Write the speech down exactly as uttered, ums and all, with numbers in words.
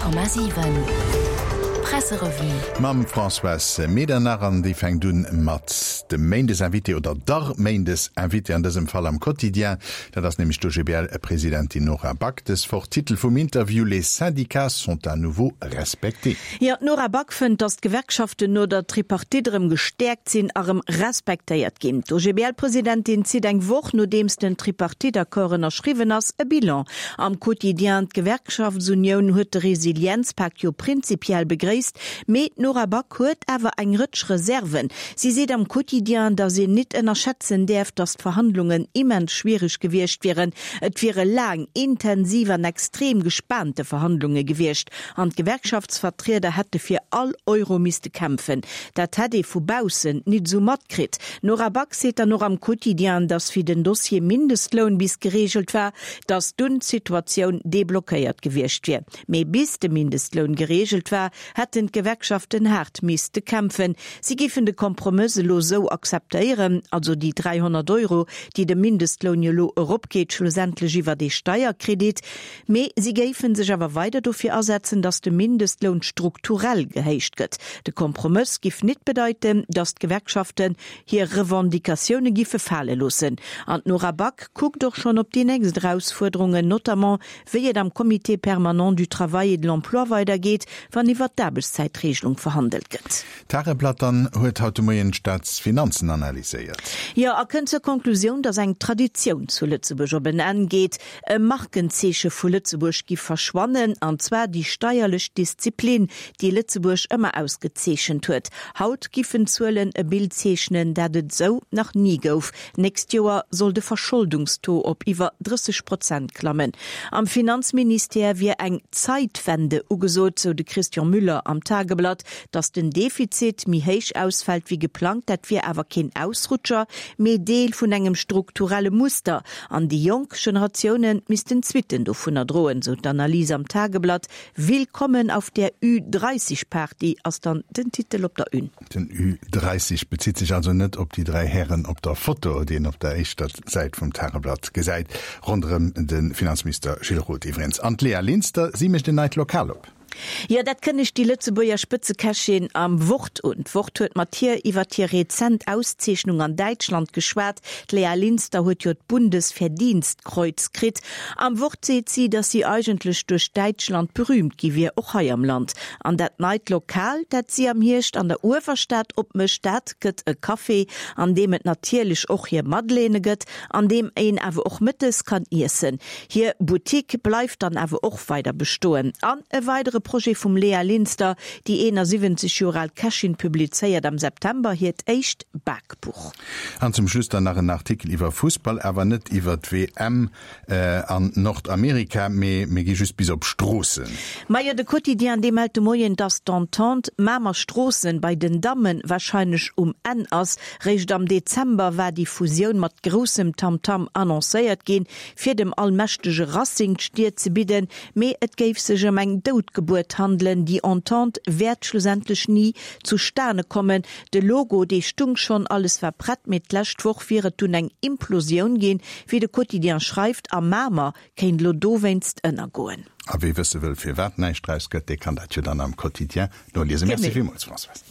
Honnert Komma siwen, Presserevue. Mam Françoise Medernach an déi fänkt un mat dem Méindesinvité oder der Méindesinvité an dësem Fall am Quotidien. Dat ass nämlech d'OGBL-Presidentin Nora Back. Dës Woch Titel vum Interview, Les syndicats sont à nouveau respectés. Jo, d'Nora Back fënnt, datt d'Gewerkschaften no der Tripartite erëm gestäerkt sinn a rëm respektéiert ginn. D'OGBL-Presidentin zitt eng Woch nodeems den Tripartite-Accord ënnerschriwwen ass, e Bilan am Quotidien. D'Gewerkschaftsunioun huet de Resilienzpak jo prinzipiell begréisst, mee d'Nora Back huet awer eng Rëtsch Reserven. Si seet am Quotidien, datt een nit ënnerschätzen däerf, datt d'Verhandlungen immens schwiereg gewiescht wieren. Et wiere laang, intensiv an extrem gespaante Verhandlunge gewiescht an d'Gewerkschaftsvertrieder hätte fir all Euro misste kämpfen. Dat hätt ee vu baussen nit esou matkritt. D'Nora Back seet dann och am Quotidien, datt wéi den Dossier Mindestloun bis gereegelt war, datt dunn d'Situatioun deblockéiert gewiescht wier. Mee bis de Mindestloun gereegelt war, hätten d'Gewerkschaften haart misste kämpfen. Si géifen de Kompromëss elo esou akzeptéieren, also déi dräihonnert Euro, déi de Mindestloun jo elo eropgeet, schlussendlech iwwert ee Steierkredit. Mee si géife sech awer weider dofir asetzen, datt de Mindestloun strukturell gehéicht gëtt. De Kompromëss giff nit bedeiten, datt d'Gewerkschaften hir Revendicatioune giffe fale loossen. An d'Nora Back kuckt och schonn op déi nächst Erausfuerderungen, notamment wéi et am Comité permanent du travail et de l'emploi weidergeet, wann iwwert d'Aarbechtszäitregelung verhandelt gëtt. D'Tageblatt dann huet haut de Moien d'Staatsfinanzen analyséiert. Jo, a kënnt zur Konklusioun, datt eng Traditioun zu Lëtzebuerg op en Enn geet. E Markenzeeche vu Lëtzebuerg giff verschwannen, an zwar déi steierlech Disziplin, déi Lëtzebuerg ëmmer ausgezeechent huet. Haut giffen d'Zuelen e Bild zeechnen, dat et esou nach ni gouf. D'nächst Joer soll de Verscholdungstaux op iwwer drësseg Prozent klammen. Am Finanzministère wier eng Zeitwende ugesot, sou de Christian Müller am Tageblatt. Datt den Defizit méi héich ausfält wéi geplangt, dat wier awer keen Ausrutscher, mee Deel vun engem strukturelle Muster. An déi jonk Generatioune missten d'Suitten dovunner droen, sou d'Analys am Tageblatt. Willkommen auf der Ü dreißig Party ass dann den Titel op der Une. Den Ü dreißig bezitt sech also net op déi dräi Hären op der Foto, déi een op der éischter Säit vum Tageblatt gesäit, ronderëm de Finanzminister Gilles Roth iwwregens. An d'Léa Linster, si mécht en neit Lokal op. Jo, dat kënnegt déi Lëtzebuerger Spëtzekächin am Wort un. D'Wort huet mat hir iwwert hir rezent Auszeechnung an Däitschland geschwat. D'Léa Linster huet jo d'Bundesverdienstkreuz kritt. Am Wort seet si, datt si eigentlech duerch Däitschland berüümt gi wier, och hei am Land. An dat neit Lokal, dat si am Hierscht an der Uewerstad opmécht, dat gëtt e Café, an deem et natierlech och hir Madeleine gëtt, an deem een awer och mëttes kann iessen. Hir Boutique bleift dann awer och weider bestoen. An e weidere Projet vum Léa Linster, Déi eenasiwwenzeg Joer al Kächin publizéiert am September hiert éischt Bakbuch. An zum Schluss dann nach en Artikel iwwer Fussball, awer net iwwer d'WM an Nordamerika, mee mir gi just bis op Stroossen. Majo, de Quotidien, dee mellt de Moien, dass d'Entente Mamer-Stroossen bei den Damme warscheinlech um Enn ass. Réischt am Dezember war déi Fusioun mat groussem Tamtam annoncéiert ginn, fir dem allmächtege Racing d'Stier ze bidden. Mee et géif sech ëm eng Doutgebuert handelen. Déi Entente wäert schlussendlech ni zustane kommen. De Logo, dee stung schonn, alles war prett, mee d'lescht Woch wier et dunn eng Implosioun ginn, wéi de Quotidien schreift, a Mamer kéint elo dowéinst ënnergoen. A wee wësse wëll, firwat näischt draus gëtt, dee kann dat jo dann am Quotidien noliesen. Merci villmools, Françoise.